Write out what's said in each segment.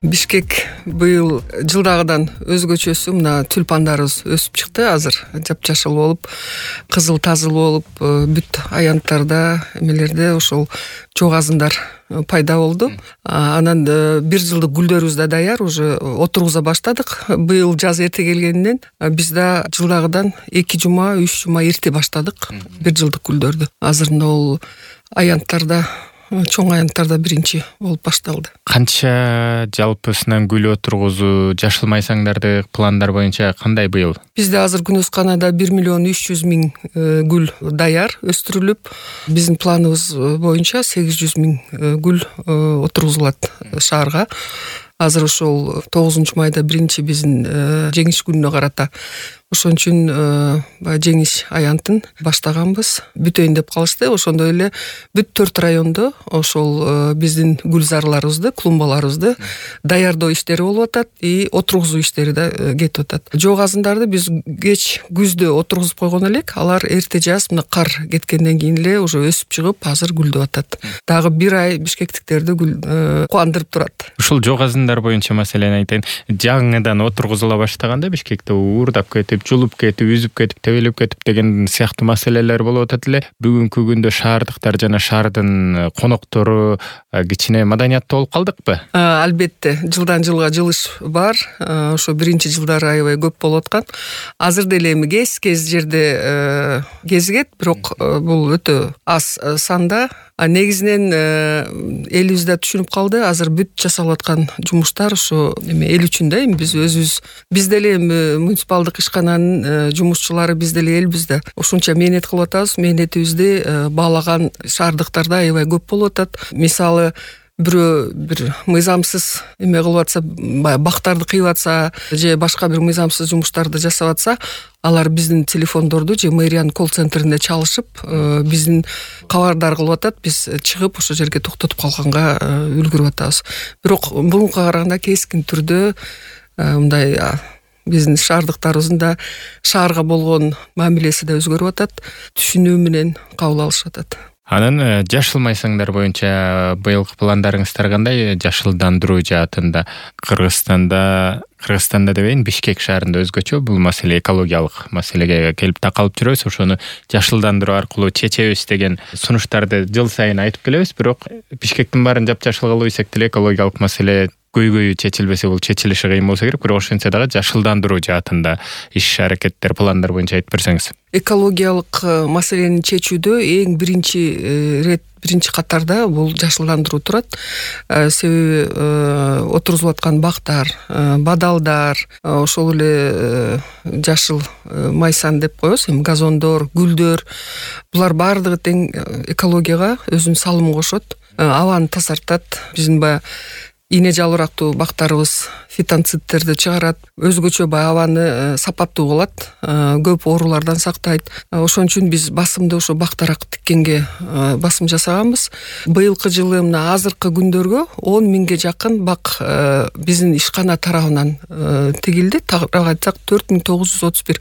Бишкек быйыл жылдагыдан өзгөчөсү мына тюльпандарыбыз өсүп чыкты. Азыр жапжашыл болуп, кызыл тазыл болуп, бүт аянттарда, эмелерде ошол чок азындар пайда болду. Анан бир жылдык гүлдөрүбүз да даяр, уже отургуза баштадык. Быйыл жаз эрте келгенинен биз да жылдагыдан 2 жума, 3 жума эрте баштадык бир жылдык гүлдөрдү. Азыр бул аянттарда, чоң аянттарда биринчи болуп башталды. Канча жалпысынан гүл отургузуу, жашыл майсаңдарды пландар боюнча кандай быйыл? Бизде азыр Күнөсканада 1,3 миллион гүл даяр өстүрүлүп, биздин планыбыз боюнча 800,000 гүл отургузулат шаарга. Азыр ошол 9 майда биринчи биздин жеңиш күнүнө карата ошон үчүн жеңиш аянтын баштаганбыз. Бүтөйүн деп калышты. Ошондой эле бүт 4 райондо ошол биздин гүлзарларыбызды, клумбаларыбызды даярдоо иштери болуп атат и отургузуу иштери да кетип атат. Жок азындарды биз кеч күздө отургузуп койгон элек, алар эрте жаз мына кар кеткенден кийин эле уже өсүп чыгып, азыр гүлдөп атат. Дагы бир ай бишкектиктерди кубандырып турат. Ушул жок азындар боюнча маселени айтайын. Жаңыдан отургузула баштаганда Бишкекте уурдап кетип, жулуп кетип, үзүп кетип, тебелеп кетип деген сыяктуу маселелер болуп атат эле. Бүгүнкү күндө шаардыктар жана шаардын коноктору кичине маданияттуу болуп калдыкпы? Албетте, жылдан жылга жылыш бар. Ошо биринчи жылдары аябай көп болуп аткан. Азыр деле эми кез жерде кезигет, бирок бул өтө аз санда. Негизинен элибиз да түшүнүп калды. Азыр бүт жасалып аткан жумуштар ошо эми эл үчүн да, эми биз өзүбүз, биз деле эми муниципалдык ишкананын жумушчулары, биз деле элбиз да. Ошончо мээнет кылып атабыз. Мээнетибизди баалаган шаардыктарда аябай көп болуп атат. Мисалы, бирөө бир мыйзамсыз эме кылып атса, бактарды кыйып атса же башка бир мыйзамсыз жумуштарды жасап атса, алар биздин телефондорду же мэриянын колл-центринде чалышып, биздин кабардар кылып атат. Биз чыгып ошол жерге токтотуп калганга үлгүрүп атабыз. Бирок мурункуга караганда кескин түрдө мындай биздин шаардыктарыбыздын да шаарга болгон мамилеси да өзгөрүп атат. Түшүнүү менен кабыл алышып атат. Анан жашыл майсаңдар боюнча быйылкы пландарыңыздар кандай? Жашылдандыруу жаатында Кыргызстанда дебейин, Бишкек шаарында өзгөчө бул маселе экологиялык маселеге келип такалып жүрөбүз. Ошону жашылдандыруу аркылуу чечебиз деген сунуштарды жыл сайын айтып келебиз. Бирок Бишкектин баарын жапжашыл кылуу десек деле экологиялык маселе көйгөйү чечилбесе, бул чечилиши кыйын болсо керек. Бирок ошентсе дагы жашылдандыруу жаатында иш-аракеттер, пландар боюнча айтып берсеңиз. Экологиялык маселени чечүүдө эң биринчи катарда бул жашылдандыруу турат. Себеби отургузулуп аткан бактар, бадалдар, ошол эле жашыл майсан деп коебуз, эми газондор, гүлдөр, булар баардыгы тең экологияга өзүнүн салымын кошот, абаны тазартат. Биздин баягы ийне жалбырактуу бактарыбыз фитонцидтерди чыгарат, өзгөчө абаны сапаттуу кылат, көп оорулардан сактайт. Ошон үчүн биз басымды ошо бактарак тиккенге басым жасаганбыз. Быйылкы жылы мына азыркы күндөргө 10,000ге жакын бак биздин ишкана тарабынан тигилди. Тагыраак айтсак 4,931.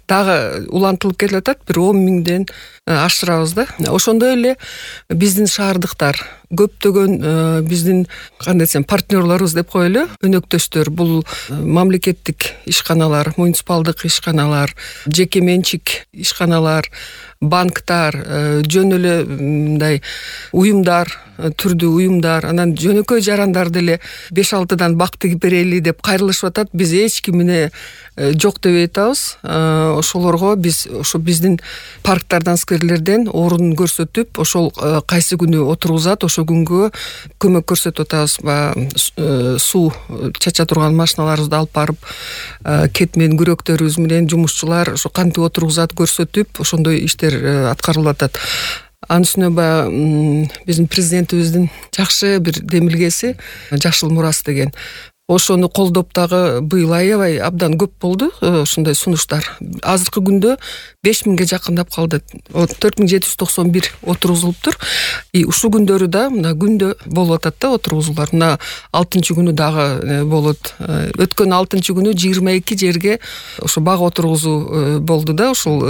Дагы улантылып келе атат, бир 10,000ден ашырабыз да. Ошондой эле биздин шаардыктар көптөгөн биздин кандай десем партнерлорубуз деп коелу, өнөктөштөр, бул мамлекеттик ишканалар, муниципалдык ишканалар, жеке менчик ишканалар, банктар, жөн эле мындай уюмдар, түрдүү уюмдар, анан жөнөкөй жарандар деле 5-6дан бак тигип берели деп кайрылышып атат. Биз эч кимине жок дебей атабыз. Ошолорго биз ошо биздин парктардан, скверлерден орун көрсөтүп, ошол кайсы күнү отургузат, ошол күнгө көмөк көрсөтүп атабыз. Суу чача турган машиналарыбызды алып барып, кетмен күрөктөрүбүз менен жумушчулар ошо кантип отургузат көрсөтүп, ошондой иштер аткарылып атат. Анын үстүнө баягы биздин президентибиздин жакшы бир демилгеси жашыл мурас деген. Ошону колдоп дагы быйыл аябай абдан көп болду ушундай сунуштар. Азыркы күндө 5,000ге жакындап калды. 4,791 отургузулуптур. И ушул күндөрү да мына күндө болуп атат да отургузуулар. Мына 6-күнү дагы болот. Өткөн 6-күнү 22 жерге ошо бак отургузуу болду да, ушул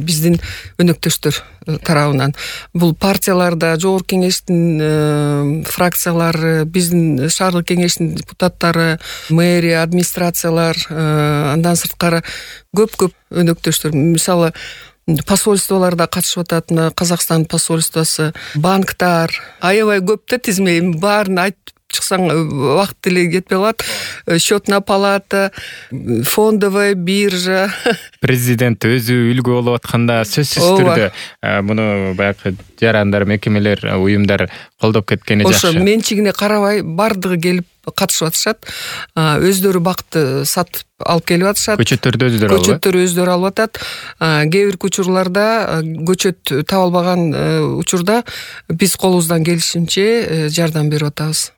биздин өнөктөштөр тарабынан. Бул партияларда, жогорку кеңештин фракциялары, биздин шаардык кеңештин депутаттары, мэрия, администрациялар, андан сырткары көп өнөктөштөр. Мисалы, посольстволарда катышып атат, Казакстан посольствосу, банктар, аябай көп да тизме, баарын айтып чыксаң убакыт деле кетпей калат. Счетная палата, фондовая биржа. Президент өзү үлгү болуп атканда сөзсүз түрдө муну баягы жарандар, мекемелер, уюмдар колдоп кеткени жакшы. Ошо менчигине карабай бардыгы келип катышып атышат. Өздөрү бакты сатып алып келип атышат. Көчөттөрү өздөрү алып атат. Кээ бир учурларда көчөт таба албаган учурда биз колубуздан келишинче жардам берип атабыз.